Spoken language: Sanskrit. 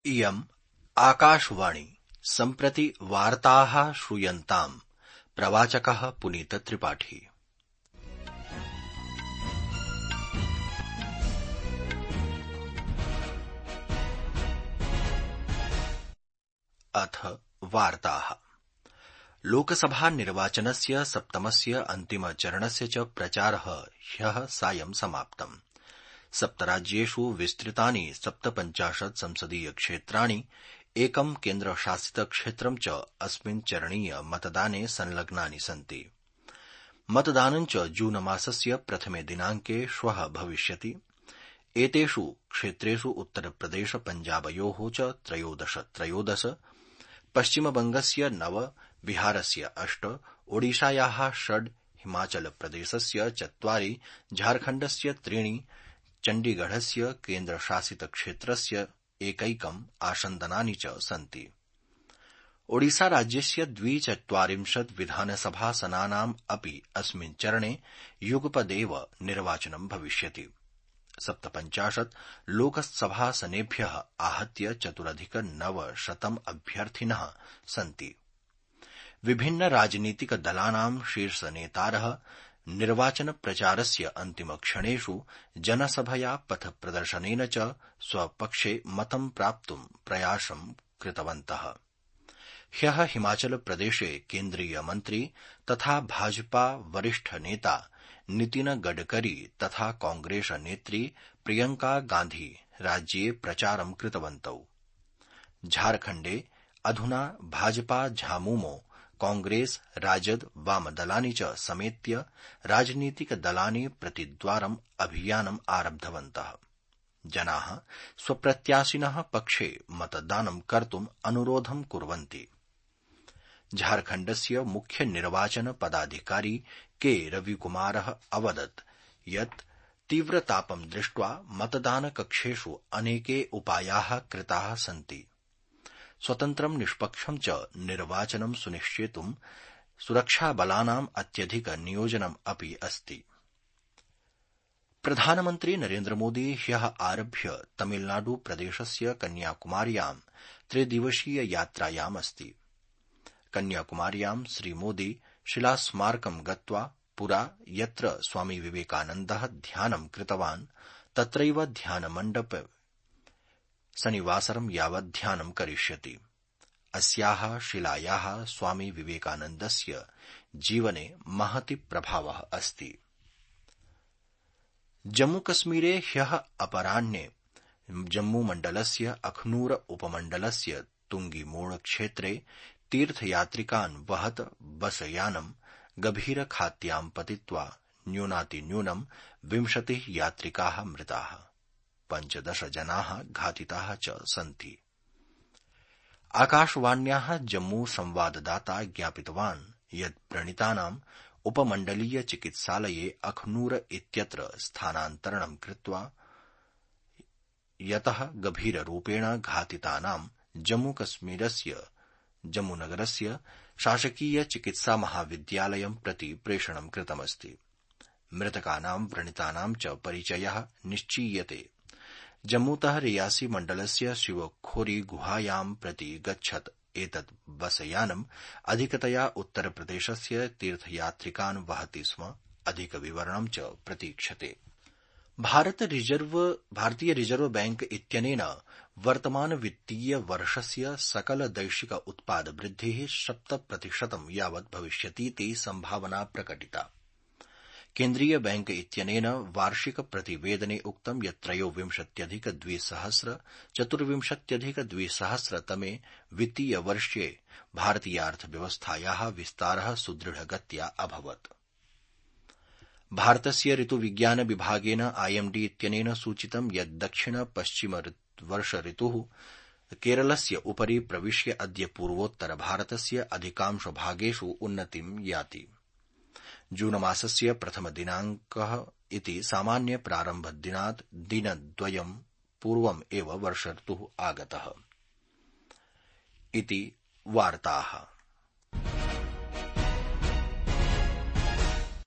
इयम् आकाशवाणी सम्प्रति वार्ताः श्रूयन्ताम्। प्रवाचकः पुनीत त्रिपाठी। अथ वार्ताः। लोकसभा निर्वाचनस्य सप्तमस्य अन्तिमचरणस्य च प्रचारः ह्यः सायं समाप्तम्। सप्तराज्येषु विस्तृतानि 57 संसदीयक्षेत्राणि, एकं केन्द्रशासितक्षेत्रं च अस्मिन् चरणीय मतदाने संलग्नानि सन्ति। मतदानं च जूनमासस्य प्रथमे दिनाङ्के श्वः भविष्यति। एतेषु क्षेत्रेषु उत्तरप्रदेश पञ्जाबयोः च 13, पश्चिमबंगस्य 9, बिहारस्य 8, ओडिशायाः 6, हिमाचलप्रदेशस्य 4, झारखण्डस्य 3, चण्डीगढस्य केन्द्रशासितक्षेत्रस्य एकैकम् आसन्दनानि च सन्ति। ओडिशाराज्यस्य 42 विधानसभासनानाम् अपि अस्मिन् चरणे युगपदेव निर्वाचनं भविष्यति। 57 लोकसभासनेभ्यः आहत्य 4,900 अभ्यर्थिनः सन्ति। विभिन्न राजनीतिकदलानां शीर्षनेतारः निर्वाचनप्रचारस्य अन्तिमक्षणेषु जनसभया पथप्रदर्शनेन च स्वपक्षे मतं प्राप्तुं प्रयासं कृतवन्तः। ह्यः हिमाचलप्रदेशे केन्द्रीयमन्त्री तथा भाजपा वरिष्ठनेता नितिन गडकरी तथा कांग्रेस नेत्री प्रियंका गांधी राज्ये प्रचारं कृतवन्तौ। झारखण्डे अधुना भाजपा झामुमो, कांग्रेस, राजद, वामदलानि च समेत्य राजनीतिकदलानि प्रतिद्वारम् अभियानम् आरब्धवन्तः। जनाः स्वप्रत्याशिनः पक्षे मतदानं कर्तुम् अनुरोधं कुर्वन्ति। झारखण्डस्य मुख्य निर्वाचन पदाधिकारी के रविकुमारः अवदत् यत् तीव्रतापं दृष्ट्वा मतदानकक्षेषु अनेके उपायाः कृताः सन्ति। स्वतन्त्रं निष्पक्षं च निर्वाचनं सुनिश्चेतुं सुरक्षाबलानाम् अत्यधिक नियोजनम् अपि अस्ति। प्रधानमन्त्री नरेन्द्रमोदी ह्यः आरभ्य तमिलनाडु प्रदेशस्य कन्याकुमार्यां 3 दिवसीय यात्रायाम् अस्ति। कन्याकुमार्यां श्रीमोदी शिलास्मारकं गत्वा पुरा यत्र स्वामी विवेकानन्दः ध्यानं कृतवान् तत्रैव ध्यानमण्डपे शनिवासरं यावत् ध्यानं करिष्यति। अस्याः शिलायाः स्वामी विवेकानन्दस्य जीवने महति प्रभावः अस्ति। जम्मूकश्मीरे ह्यः अपराह्ने जम्मूमण्डलस्य अखनूर उपमण्डलस्य तुंगीमोड़ क्षेत्रे तीर्थयात्रिकान् वहत् बसयानं गभीरखात्यां पतित्वा न्यूनातिन्यूनं 20 यात्रिकाः मृताः, 15 जनाः घातिताः च सन्ति। आकाशवाण्याः जम्मू संवाददाता ज्ञापितवान् यत् व्रणितानाम् उपमण्डलीय चिकित्सालये अखनूर इत्यत्र स्थानान्तरणं कृत्वा यतः गभीररूपेण घातितानां जम्मूकश्मीरस्य जम्मूनगरस्य शासकीय चिकित्सा महाविद्यालयं प्रति प्रेषणं कृतमस्ति। मृतकानां व्रणितानां च परिचयः निश्चीयते। जम्मूतः रियासी मण्डलस्य शिवखोरी गुहायां प्रति गच्छत् एतत् बसयानम् अधिकतया उत्तरप्रदेशस्य तीर्थयात्रिकान् वहति स्म। अधिकविवरणं च प्रतीक्षते। भारतीय रिजर्व बैंक इत्यनेन वर्तमान वित्तीय वर्षस्य सकल दैशिक उत्पाद वृद्धिः 7% यावत् भविष्यतीति संभावना प्रकटिता। केन्द्रीय बैंक इत्यनेन वार्षिक प्रतिवेदने उक्तं यत् 23,200 24,200 तमे वित्तीय वर्षे भारतीयार्थव्यवस्थायाः विस्तारः सुदृढगत्या अभवत्। भारतस्य ऋतुविज्ञान विभागेन आईएमडी इत्यनेन सूचितं यत् दक्षिण पश्चिम वर्ष ऋतुः केरलस्य उपरि प्रविश्य अद्य पूर्वोत्तर भारतस्य अधिकांश भागेषु उन्नतिं याति। जूनमासस्य प्रथम दिनाङ्कः इति सामान्य प्रारम्भदिनात् दिनद्वयं पूर्वम् एव वर्ष ऋतुः आगतः। इति वार्ताः।